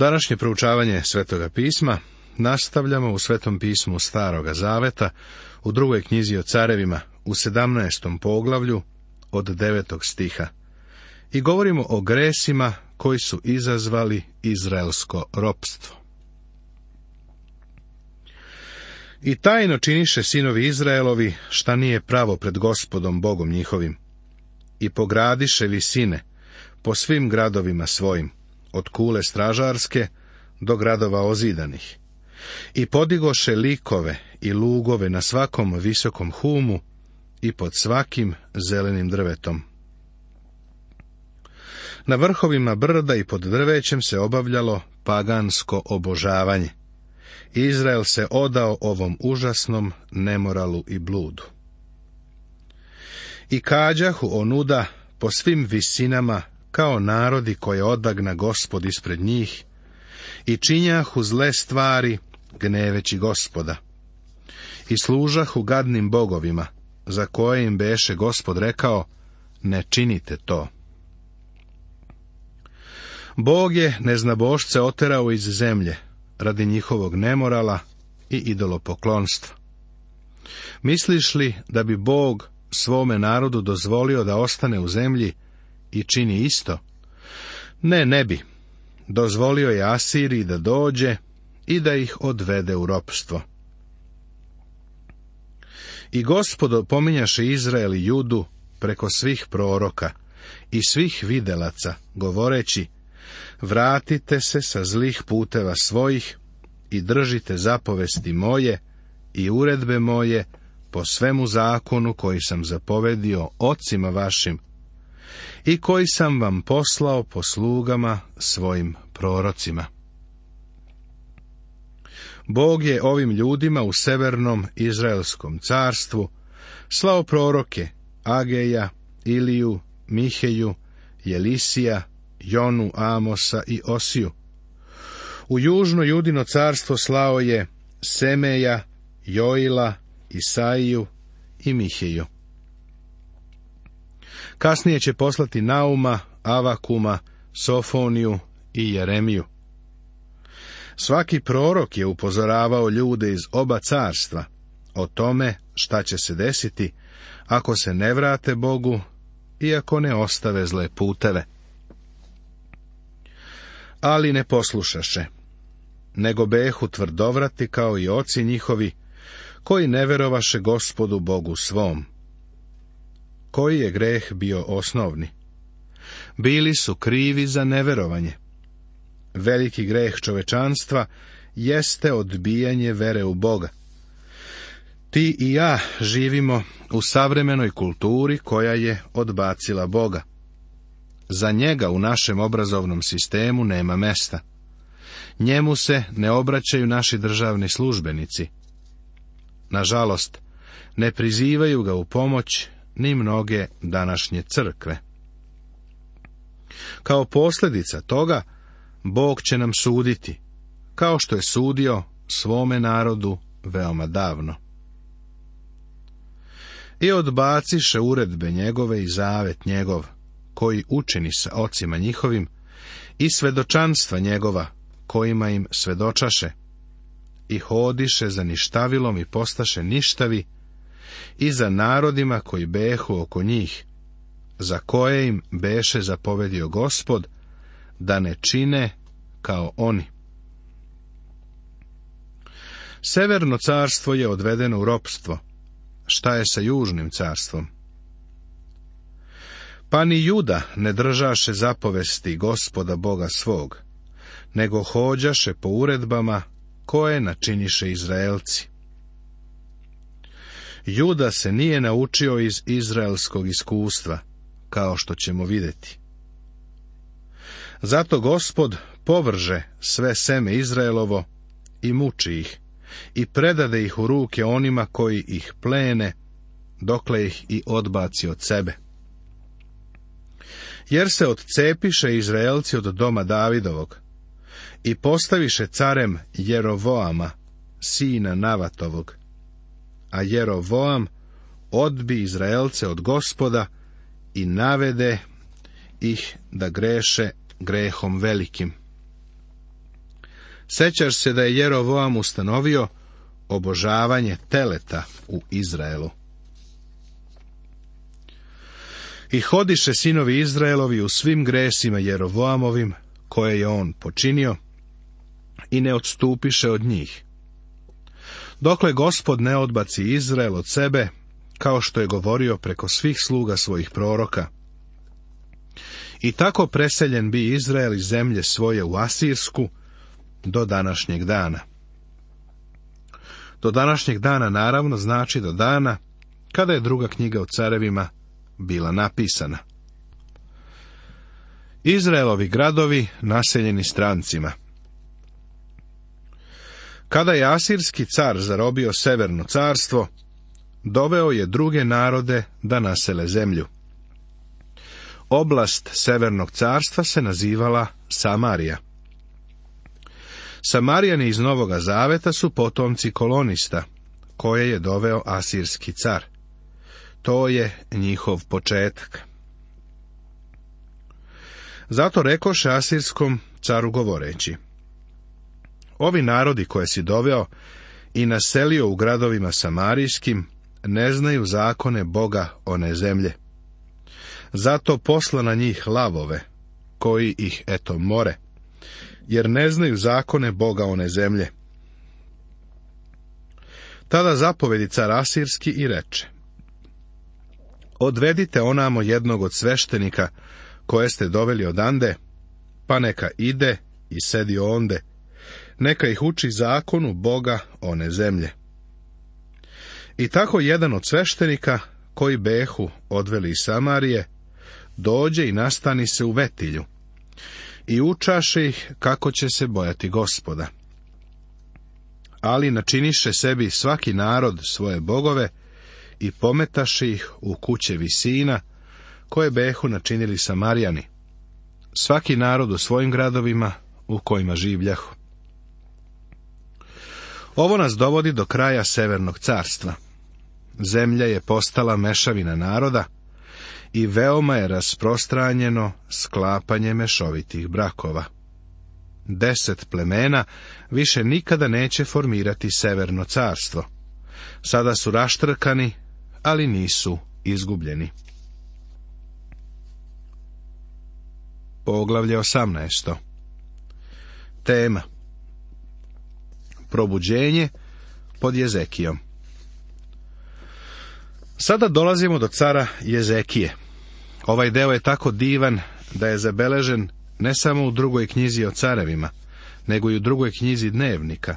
Današnje proučavanje Svetoga pisma nastavljamo u Svetom pismu Staroga zaveta, u 2. knjizi o carevima, u 17. poglavlju, od 9. stiha. I govorimo o gresima koji su izazvali izraelsko ropstvo. I tajno činiše sinovi Izraelovi šta nije pravo pred Gospodom Bogom njihovim. I pogradiše visine po svim gradovima svojim, od kule stražarske do gradova ozidanih. I podigoše likove i lugove na svakom visokom humu i pod svakim zelenim drvetom. Na vrhovima brda i pod drvećem se obavljalo pagansko obožavanje. Izrael se odao ovom užasnom nemoralu i bludu. I kađahu onuda po svim visinama kao narodi koje odagna Gospod ispred njih, i činjahu zle stvari gneveći Gospoda. I služahu gadnim bogovima, za koje im beše Gospod rekao, ne činite to. Bog je neznabošce oterao iz zemlje, radi njihovog nemorala i idolopoklonstva. Misliš li da bi Bog svome narodu dozvolio da ostane u zemlji i čini isto? Ne bi. Dozvolio je Asiriji da dođe i da ih odvede u ropstvo. I Gospod opominjaše Izrael i Judu preko svih proroka i svih videlaca, govoreći, vratite se sa zlih puteva svojih i držite zapovesti moje i uredbe moje po svemu zakonu koji sam zapovedio ocima vašim i koji sam vam poslao po slugama svojim prorocima. Bog je ovim ljudima u severnom Izraelskom carstvu slao proroke Ageja, Iliju, Miheju, Jelisija, Jonu, Amosa i Osiju. U južno Judino carstvo slao je Semeja, Joila, Isaiju i Miheju. Kasnije će poslati Nauma, Avakuma, Sofoniju i Jeremiju. Svaki prorok je upozoravao ljude iz oba carstva o tome šta će se desiti ako se ne vrate Bogu i ako ne ostave zle puteve. Ali ne poslušaše, nego behu tvrdovrati kao i oci njihovi, koji ne verovaše Gospodu Bogu svom. Koji je greh bio osnovni? Bili su krivi za neverovanje. Veliki greh čovečanstva jeste odbijanje vere u Boga. Ti i ja živimo u savremenoj kulturi koja je odbacila Boga. Za njega u našem obrazovnom sistemu nema mesta. Njemu se ne obraćaju naši državni službenici. Nažalost, ne prizivaju ga u pomoć ni mnoge današnje crkve. Kao posljedica toga, Bog će nam suditi, kao što je sudio svome narodu veoma davno. I odbaciše uredbe njegove i zavet njegov, koji učini sa ocima njihovim, i svedočanstva njegova, kojima im svedočaše, i hodiše za ništavilom i postaše ništavi, i za narodima koji behu oko njih, za koje im beše zapovedio Gospod, da ne čine kao oni. Severno carstvo je odvedeno u ropstvo. Šta je sa južnim carstvom? Pa ni Juda ne držaše zapovesti Gospoda Boga svog, nego hođaše po uredbama koje načiniše Izraelci. Juda se nije naučio iz izraelskog iskustva, kao što ćemo vidjeti. Zato Gospod povrže sve seme Izraelovo i muči ih, i predade ih u ruke onima koji ih plene, dokle ih i odbaci od sebe. Jer se odcepiše Izraelci od doma Davidovog i postaviše carem Jerovoama, sina Navatovog, a Jerovoam odbi Izraelce od Gospoda i navede ih da greše grehom velikim. Sećaš se da je Jerovoam ustanovio obožavanje teleta u Izraelu. I hodiše sinovi Izraelovi u svim gresima Jerovoamovim, koje je on počinio, i ne odstupiše od njih. Dokle Gospod ne odbaci Izrael od sebe, kao što je govorio preko svih sluga svojih proroka. I tako preseljen bi Izrael iz zemlje svoje u Asirsku do današnjeg dana. Do današnjeg dana naravno znači do dana kada je druga knjiga o carevima bila napisana. Izraelovi gradovi naseljeni strancima. Kada je asirski car zarobio severno carstvo, doveo je druge narode da nasele zemlju. Oblast severnog carstva se nazivala Samarija. Samarijani iz Novoga Zaveta su potomci kolonista, koje je doveo asirski car. To je njihov početak. Zato rekoše asirskom caru govoreći: ovi narodi koje si doveo i naselio u gradovima samarijskim ne znaju zakone Boga one zemlje. Zato posla na njih lavove, koji ih eto more, jer ne znaju zakone Boga one zemlje. Tada zapovedi car asirski i reče: odvedite onamo jednog od sveštenika koje ste doveli odande, pa neka ide i sedi onde, neka ih uči zakonu Boga one zemlje. I tako jedan od sveštenika, koji behu odveli iz Samarije, dođe i nastani se u Vetilju, i učaše ih kako će se bojati Gospoda. Ali načiniše sebi svaki narod svoje bogove i pometaše ih u kuće visina, koje behu načinili Samarijani, svaki narod u svojim gradovima u kojima življahu. Ovo nas dovodi do kraja severnog carstva. Zemlja je postala mešavina naroda i veoma je rasprostranjeno sklapanje mešovitih brakova. 10 plemena više nikada neće formirati severno carstvo. Sada su raštrkani, ali nisu izgubljeni. Poglavlje 18. Tema: probuđenje pod Jezekijom. Sada dolazimo do cara Jezekije. Ovaj deo je tako divan da je zabeležen ne samo u drugoj knjizi o carevima, nego i u drugoj knjizi dnevnika,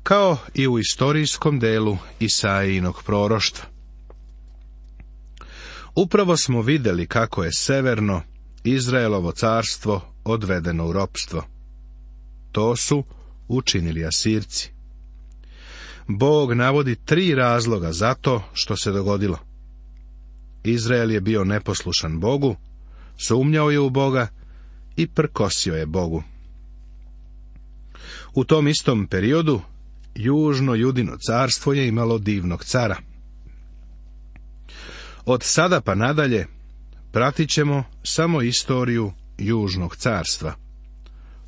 kao i u istorijskom delu Isaijinog proroštva. Upravo smo vidjeli kako je severno Izraelovo carstvo odvedeno u ropstvo. To su učinili Asirci. Bog navodi 3 razloga za to što se dogodilo. Izrael je bio neposlušan Bogu, sumnjao je u Boga i prkosio je Bogu. U tom istom periodu južno Judino carstvo je imalo divnog cara. Od sada pa nadalje pratit ćemo samo istoriju južnog carstva,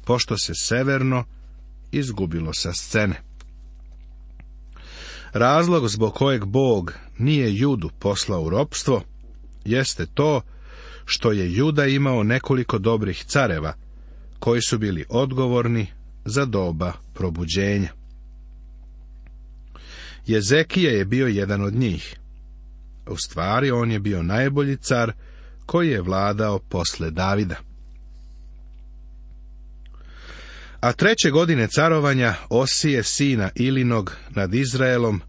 pošto se severno izgubilo sa scene. Razlog zbog kojeg Bog nije Judu poslao u ropstvo jeste to što je Juda imao nekoliko dobrih careva koji su bili odgovorni za doba probuđenja. Jezekija je bio jedan od njih. U stvari on je bio najbolji car koji je vladao posle Davida. A 3. godine carovanja Osije sina Ilinog nad Izraelom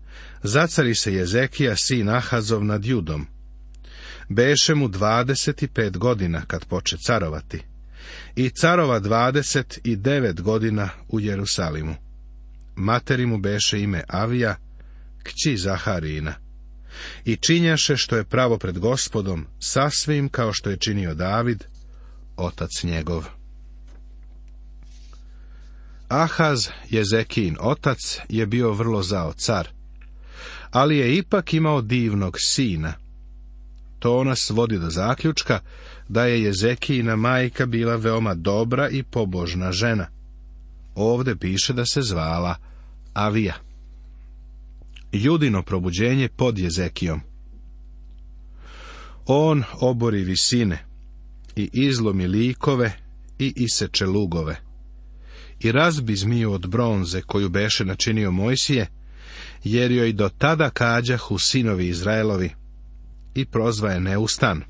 zacari se Jezekija sin Ahazov nad Judom. Beše mu 25 godina kad poče carovati i carova 29 godina u Jerusalimu. Materi mu beše ime Avija, kći Zaharijina. I činjaše što je pravo pred Gospodom, sasvim kao što je činio David, otac njegov. Ahaz, Jezekijin otac, je bio vrlo zao car, ali je ipak imao divnog sina. To nas vodi do zaključka da je Jezekijina majka bila veoma dobra i pobožna žena. ovde piše da se zvala Avija. Judino probuđenje pod Jezekijom. On obori visine i izlomi likove i iseče lugove i razbi zmiju od bronze koju beše načinio Mojsije, jer joj do tada kađahu sinovi Izraelovi, i prozva je neustan.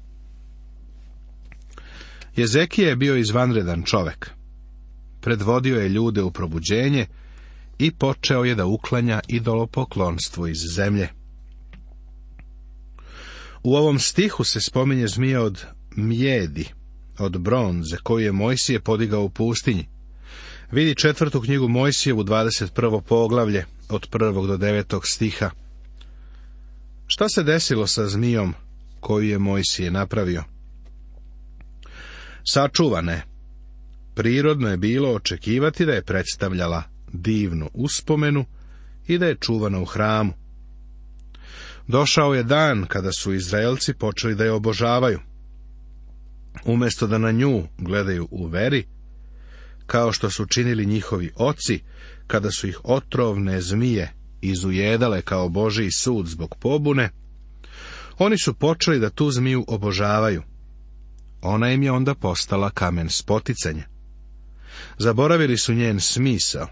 Jezekija je bio izvanredan čovek. Predvodio je ljude u probuđenje i počeo je da uklanja idolopoklonstvo iz zemlje. U ovom stihu se spominje zmija od mjedi, od bronze, koju je Mojsije podigao u pustinji. Vidi 4. knjigu Mojsijevu, 21. poglavlje, od 1. do 9. stiha. Šta se desilo sa zmijom koju je Mojsije napravio? Sačuvana je. Prirodno je bilo očekivati da je predstavljala divnu uspomenu i da je čuvana u hramu. Došao je dan kada su Izraelci počeli da je obožavaju. Umjesto da na nju gledaju u veri, kao što su činili njihovi oci, kada su ih otrovne zmije izujedale kao Božji sud zbog pobune, oni su počeli da tu zmiju obožavaju. Ona im je onda postala kamen spoticanja. Zaboravili su njen smisao.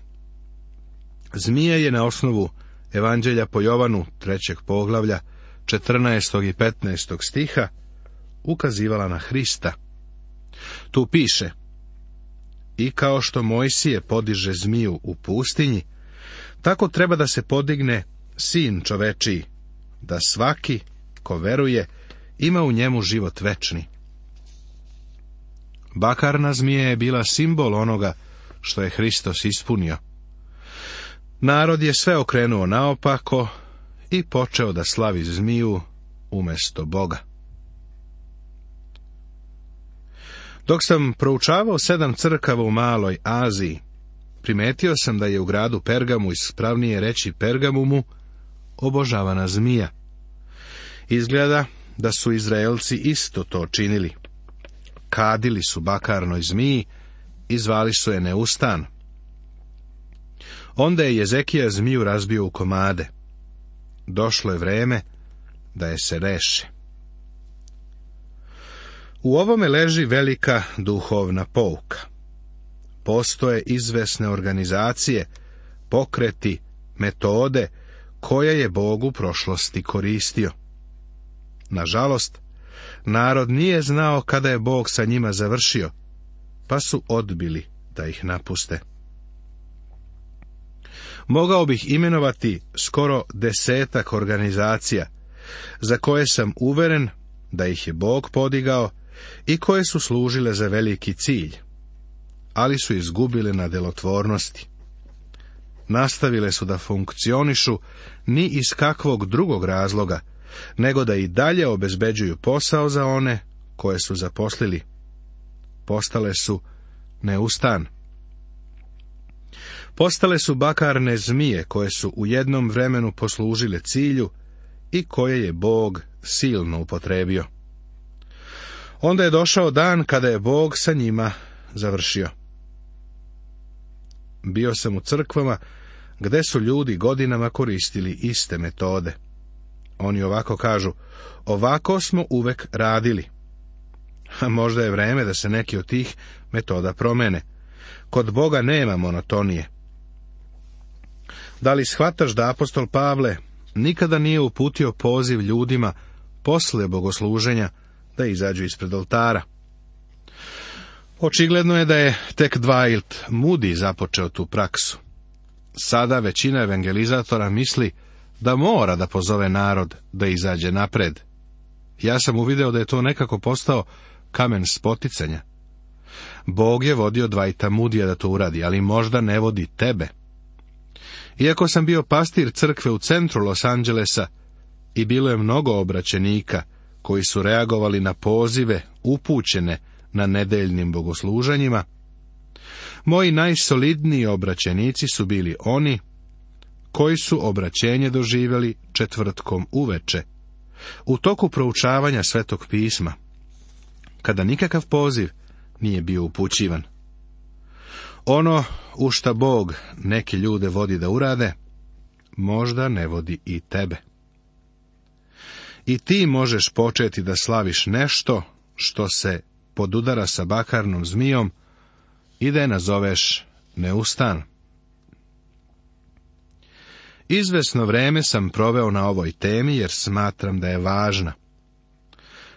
Zmija je na osnovu Evanđelja po Jovanu 3. poglavlja 14. i 15. stiha ukazivala na Hrista. Tu piše: i kao što Mojsije podiže zmiju u pustinji, tako treba da se podigne sin čovečiji, da svaki ko veruje ima u njemu život večni. Bakarna zmija je bila simbol onoga što je Hristos ispunio. Narod je sve okrenuo naopako i počeo da slavi zmiju umjesto Boga. Dok sam proučavao 7 crkava u Maloj Aziji, primetio sam da je u gradu Pergamu, ispravnije reći Pergamumu, obožavana zmija. Izgleda da su Izraelci isto to činili. Kadili su bakarnoj zmiji i zvali su je neustan. Onda je Jezekija zmiju razbio u komade. Došlo je vreme da je se reše. U ovome leži velika duhovna pouka. Postoje izvesne organizacije, pokreti, metode koje je Bog u prošlosti koristio. Nažalost, narod nije znao kada je Bog sa njima završio, pa su odbili da ih napuste. Mogao bih imenovati skoro 10 organizacija, za koje sam uveren da ih je Bog podigao i koje su služile za veliki cilj, ali su izgubile na delotvornosti. Nastavile su da funkcionišu ni iz kakvog drugog razloga, nego da i dalje obezbeđuju posao za one koje su zaposlili. Postale su neustan. Postale su bakarne zmije koje su u jednom vremenu poslužile cilju i koje je Bog silno upotrebio. Onda je došao dan kada je Bog sa njima završio. Bio sam u crkvama gde su ljudi godinama koristili iste metode. Oni ovako kažu: ovako smo uvek radili. A možda je vreme da se neki od tih metoda promene. Kod Boga nema monotonije. Da li shvataš da apostol Pavle nikada nije uputio poziv ljudima posle bogosluženja da izađu ispred oltara? Očigledno je da je tek Dwight Moody započeo tu praksu. Sada većina evangelizatora misli da mora da pozove narod da izađe napred. Ja sam uvideo da je to nekako postao kamen spoticanja. Bog je vodio Dwighta Moodyja da to uradi, ali možda ne vodi tebe. Iako sam bio pastir crkve u centru Los Angelesa i bilo je mnogo obraćenika koji su reagovali na pozive upućene na nedeljnim bogosluženjima, moji najsolidniji obraćenici su bili oni koji su obraćenje doživjeli četvrtkom uveče, u toku proučavanja Svetog pisma, kada nikakav poziv nije bio upućivan. Ono u šta Bog neke ljude vodi da urade, možda ne vodi i tebe. I ti možeš početi da slaviš nešto što se podudara sa bakarnom zmijom i da je nazoveš neustan. Izvesno vreme sam proveo na ovoj temi jer smatram da je važna.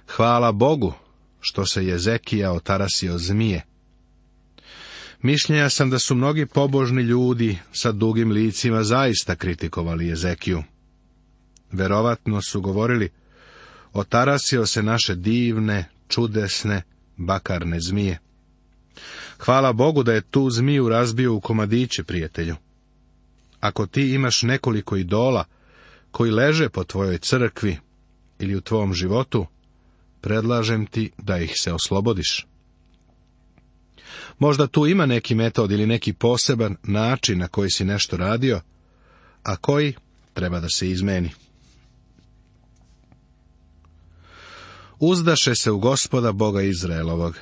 Hvala Bogu što se Jezekija otarasio zmije. Mišljenja sam da su mnogi pobožni ljudi sa dugim licima zaista kritikovali Jezekiju. Verovatno su govorili, otarasio se naše divne, čudesne, bakarne zmije. Hvala Bogu da je tu zmiju razbio u komadiće, prijatelju. Ako ti imaš nekoliko idola koji leže po tvojoj crkvi ili u tvom životu, predlažem ti da ih se oslobodiš. Možda tu ima neki metod ili neki poseban način na koji si nešto radio, a koji treba da se izmeni. Uzdaše se u Gospoda Boga Izraelovog,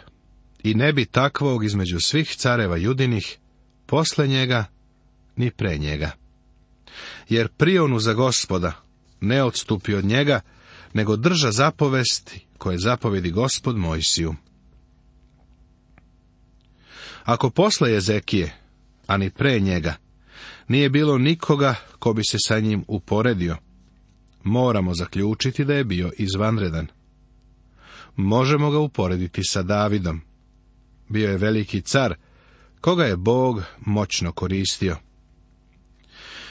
i ne bi takvog između svih careva Judinih, posle njega, ni pre njega. Jer prionu za Gospoda, ne odstupi od njega, nego drža zapovesti koje zapovedi Gospod Mojsiju. Ako posle Jezekije, a ni pre njega, nije bilo nikoga ko bi se sa njim uporedio, moramo zaključiti da je bio izvanredan. Možemo ga uporediti sa Davidom. Bio je veliki car, koga je Bog moćno koristio.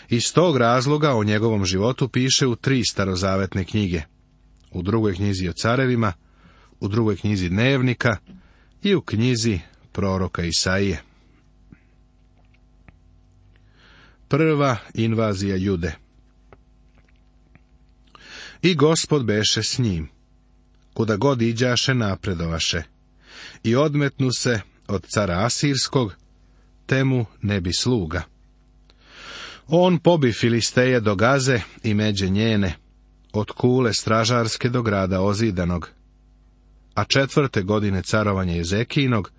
Iz tog razloga o njegovom životu piše u 3 starozavetne knjige. U 2. knjizi o carevima, u 2. knjizi dnevnika i u knjizi proroka Isaije. Prva invazija Jude. I Gospod beše s njim, kuda god iđaše napredovaše, i odmetnu se od cara Asirskog, te mu ne bi sluga. On pobi Filisteje do Gaze i međe njene, od kule stražarske do grada Ozidanog. A 4. godine carovanja Jezekijinog,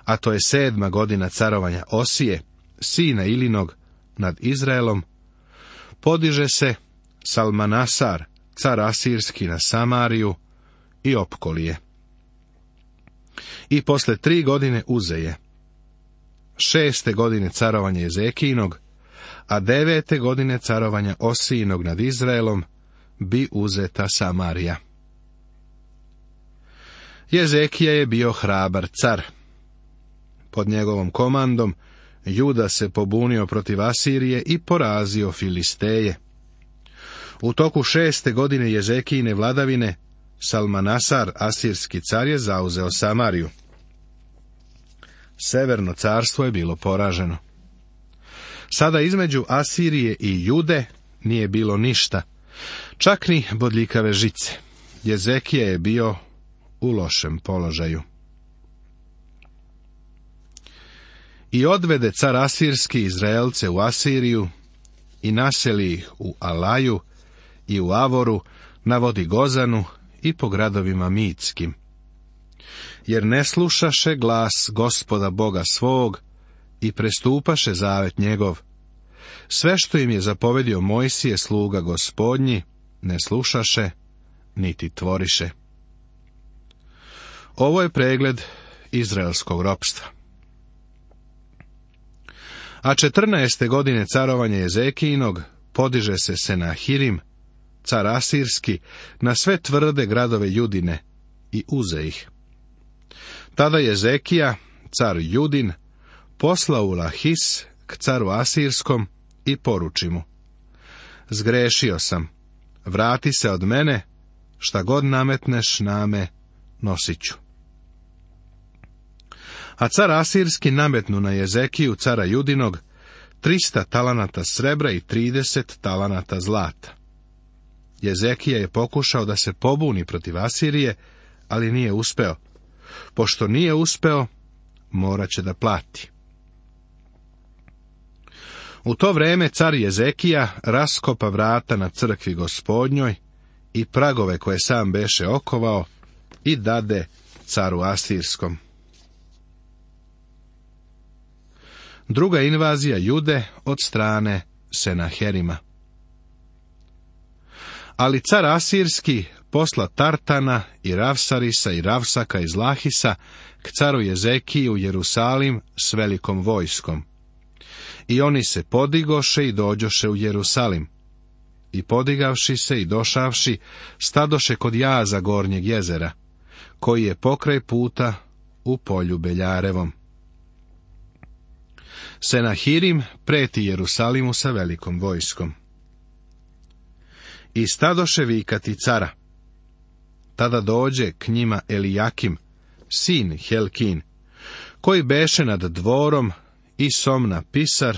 a to je 7. godina carovanja Osije, sina Ilinog, nad Izraelom, podiže se Salmanasar, car Asirski, na Samariju i opkolije. I posle 3 godine uzeje. 6. godine carovanja Jezekijinog, a 9. godine carovanja Osijinog nad Izraelom, bi uzeta Samarija. Jezekija je bio hrabar car. Pod njegovom komandom Juda se pobunio protiv Asirije i porazio Filisteje. U toku 6. godine Jezekijine vladavine, Salmanasar, asirski car, je zauzeo Samariju. Severno carstvo je bilo poraženo. Sada između Asirije i Jude nije bilo ništa, čak ni bodljikave žice. Jezekija je bio u lošem položaju. I odvede car Asirski Izraelce u Asiriju i naseli ih u Alaju i u Avoru, na vodi Gozanu i po gradovima Mitskim. Jer ne slušaše glas Gospoda Boga svog i prestupaše zavet njegov. Sve što im je zapovedio Mojsije, sluga Gospodnji, ne slušaše, niti tvoriše. Ovo je pregled izraelskog ropstva. A 14. godine carovanja Jezekijinog podiže se Senahirim, car Asirski, na sve tvrde gradove Judine i uze ih. Tada Jezekija, car Judin, posla u Lahis k caru Asirskom i poruči mu: zgrešio sam, vrati se od mene, šta god nametneš name, nosit ću. A car Asirski nametnu na Jezekiju, cara Judinog, 300 talanata srebra i 30 talanata zlata. Jezekija je pokušao da se pobuni protiv Asirije, ali nije uspeo. Pošto nije uspeo, morat će da plati. U to vreme car Jezekija raskopa vrata na crkvi Gospodnjoj i pragove koje sam beše okovao i dade caru Asirskom. Druga invazija Jude od strane Senaherima. Ali car Asirski posla Tartana i Ravsarisa i Ravsaka iz Lahisa k caru Jezekiji u Jerusalim s velikom vojskom. I oni se podigoše i dođoše u Jerusalim. I podigavši se i došavši, stadoše kod jaza gornjeg jezera, koji je pokraj puta u polju Beljarevom. Senahirim preti Jerusalimu sa velikom vojskom. I stadoše vikati cara. Tada dođe k njima Elijakim, sin Helkin, koji beše nad dvorom, i Somna pisar,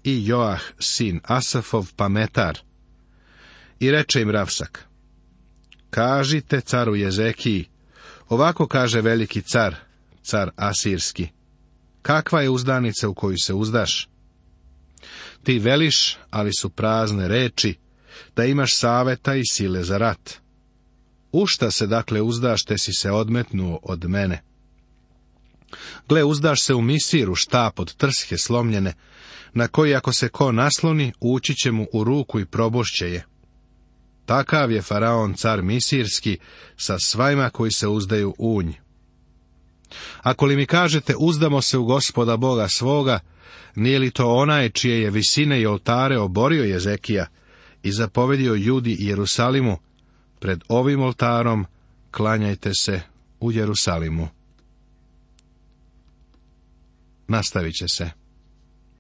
i Joah, sin Asafov, pametar. I reče im Ravsak: kažite caru Jezekiji, ovako kaže veliki car, car Asirski: kakva je uzdanica u koju se uzdaš? Ti veliš, ali su prazne reči, da imaš saveta i sile za rat. U šta se dakle uzdaš, te si se odmetnuo od mene? Gle, uzdaš se u Misiru štap od trshe slomljene, na koji ako se ko nasloni, ući će mu u ruku i probošće je. Takav je faraon car Misirski sa svajma koji se uzdaju u nj. Ako li mi kažete, uzdamo se u Gospoda Boga svoga, nije li to onaj čije je visine i oltare oborio Jezekija i zapovedio Judi i Jerusalimu: pred ovim oltarom klanjajte se u Jerusalimu. Nastavit će se.